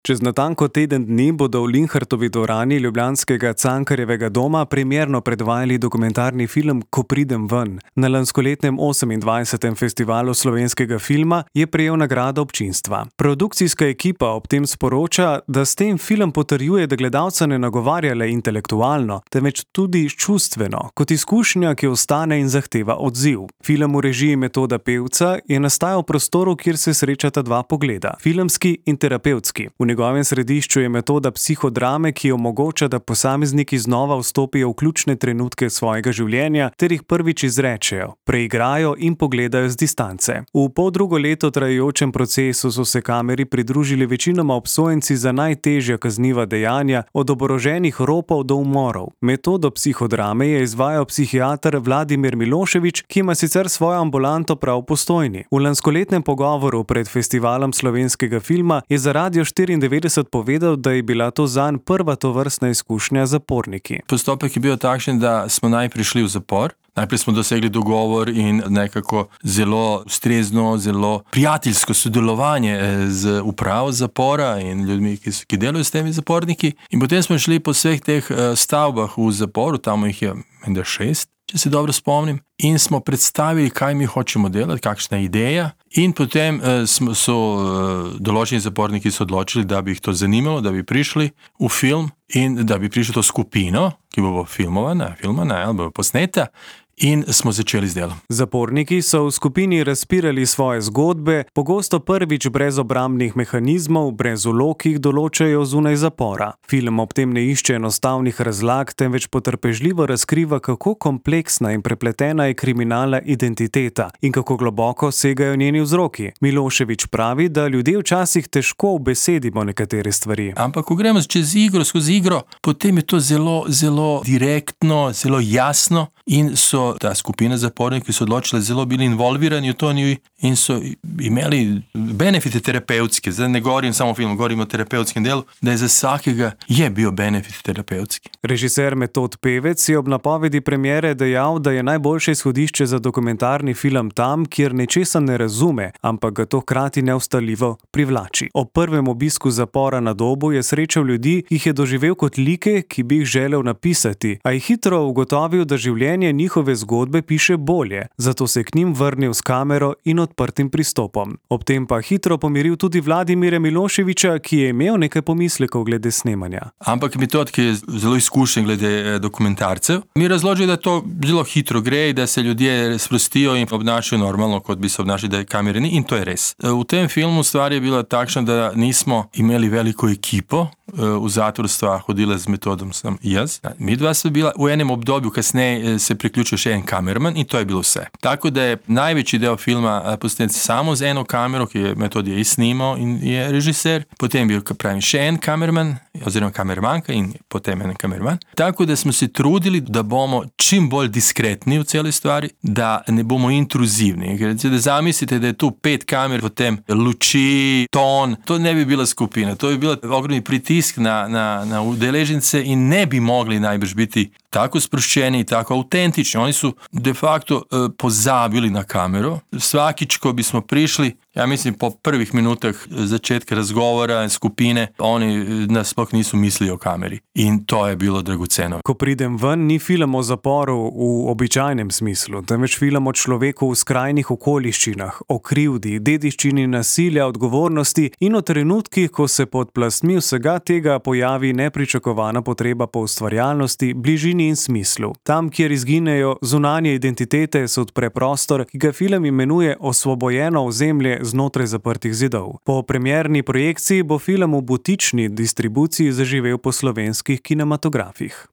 Čez natanko teden dni bodo v Linhartovi dvorani ljubljanskega Cankarjevega doma premierno predvajali dokumentarni film Ko pridem ven. Na lanskoletnem 28. festivalu slovenskega filma je prejel nagrado občinstva. Produkcijska ekipa ob tem sporoča, da s tem film potrjuje, da gledalca ne nagovarja le intelektualno, temveč tudi čustveno, kot izkušnja, ki ostane in zahteva odziv. Film v režiji Metoda Pevca je nastajal v prostoru, kjer se srečata dva pogleda, filmski in terapevtski. V njegovem središču je metoda psihodrame, ki omogoča, da posamezniki znova vstopijo v ključne trenutke svojega življenja ter jih prvič izrečejo, preigrajo in pogledajo z distance. V poldrugo leto trajajočem procesu so se kameri pridružili večinoma obsojenci za najtežja kazniva dejanja, od oboroženih ropov do umorov. Metodo psihodrame je izvajal psihiater Vladimir Milošević, ki ima sicer svojo ambulanto prav v Postojni. V lanskoletnem pogovoru pred festivalom slovenskega filma je za Radio 94 povedal, da je bila to zanj prva tovrstna izkušnja z zaporniki. Postopek je bil takšen, da smo najprej šli v zapor. Najprej smo dosegli dogovor in nekako zelo ustrezno, zelo prijateljsko sodelovanje z upravo zapora in ljudmi, ki delajo s temi zaporniki. In potem smo šli po vseh teh stavbah v zaporu, tam jih je 6, če se dobro spomnim, in smo predstavili, kaj mi hočemo delati, kakšna je ideja. In potem so določeni zaporniki se odločili, da bi jih to zanimalo, da bi prišli v film in da bi prišli to skupino, ki bo filmovana ali bo posneta. In smo začeli z delom. Zaporniki so v skupini razpirali svoje zgodbe, pogosto prvič brez obrambnih mehanizmov, brez vlog, ki jih določajo zunaj zapora. Film ob tem ne išče enostavnih razlag, temveč potrpežljivo razkriva, kako kompleksna in prepletena je kriminalna identiteta in kako globoko segajo njeni vzroki. Milošević pravi, da ljudje včasih težko ubesedimo nekatere stvari. Ampak ko gremo skozi igro, potem je to zelo, zelo direktno, zelo jasno in so ta skupina zapornikov, ki so odločili, zelo bili involvirani v to in so imeli benefite terapevtske. Zdaj ne govorim samo o filmu, govorim o terapevtskem delu, da je za vsakega je bil benefit terapevtski. Režiser Metod Pevec je ob napovedi premiere dejal, da je najboljše izhodišče za dokumentarni film tam, kjer nečesa ne razume, ampak ga to hkrati neustaljivo privlači. Ob prvem obisku zapora na Dobu je srečal ljudi, ki jih je doživel kot like, ki bi jih želel napisati, a je hitro ugotovil, da življenje njihove zgodbe piše bolje, zato se je k njim vrnil s kamero in odprtim pristopom. Ob tem pa hitro pomiril tudi Vladimira Miloševića, ki je imel nekaj pomislekov glede snemanja. Ampak Metod, ki je zelo izkušen glede dokumentarcev, mi razloži, da to zelo hitro gre, da se ljudje sprostijo in obnašajo normalno, kot bi se obnašali, da je kamere ni, in to je res. V tem filmu stvar je bila takšna, da nismo imeli veliko ekipo. V zatvor stva hodila z Metodom sem jaz. Mi dva sva bila v enem obdobju, kasneje se priključil še en kamerman in to je bilo vse. Tako da je največji del filma posnet samo z eno kamero, ki je Metod je snimal in je režiser. Potem je bil še en kamerman, oziroma kamermanka in potem en kamerman. Tako da smo se trudili, da bomo čim bolj diskretni v celi stvari, da ne bomo intruzivni. Da zamislite, da je tu 5 kamer, potem luči, ton, to ne bi bila skupina, to bi bila ogromni pritisk na udeležence in ne bi mogli najbrž biti tako sproščeni, tako autentični. Oni su de facto pozabili na kameru. Svakič, ko bismo prišli, ja mislim po prvih minutah začetka razgovora skupine, oni nas sploh nisu mislili o kameri. In to je bilo dragoceno. Ko pridem ven, ni film o zaporu v običajnem smislu, temveč film o človeku v skrajnih okoliščinah, o krivdi, dediščini nasilja, odgovornosti in o trenutkih, ko se pod plastmi vsega tega pojavi nepričakovana potreba po ustvarjalnosti, bližini in smislu. Tam, kjer izginejo zunanje identitete, se odpre prostor, ki ga film imenuje osvobojeno ozemlje znotraj zaprtih zidov. Po premierni projekciji bo film v butični distribuciji zaživel po slovenskih kinematografih.